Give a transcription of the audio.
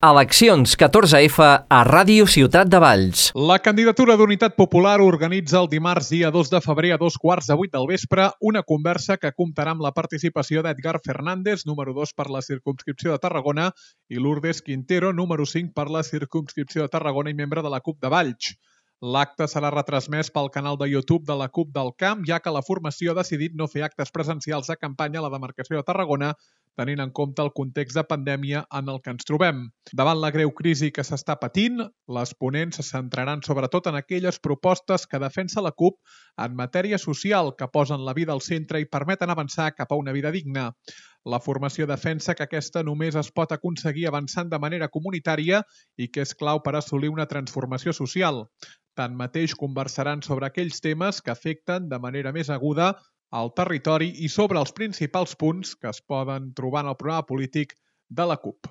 Eleccions 14F a Ràdio Ciutat de Valls. La candidatura d'Unitat Popular organitza el dimarts dia 2 de febrer a 2:15 del vespre una conversa que comptarà amb la participació d'Edgar Fernández, número 2 per la circumscripció de Tarragona, i Lourdes Quintero, número 5 per la circumscripció de Tarragona i membre de la CUP de Valls. L'acte serà retransmès pel canal de YouTube de la CUP del Camp, ja que la formació ha decidit no fer actes presencials de campanya a la demarcació de Tarragona, tenint en compte el context de pandèmia en el que ens trobem. Davant la greu crisi que s'està patint, les ponents se centraran sobretot en aquelles propostes que defensa la CUP en matèria social, que posen la vida al centre i permeten avançar cap a una vida digna. La formació defensa que aquesta només es pot aconseguir avançant de manera comunitària i que és clau per assolir una transformació social. Tanmateix, conversaran sobre aquells temes que afecten de manera més aguda al territori i sobre els principals punts que es poden trobar en el programa polític de la CUP.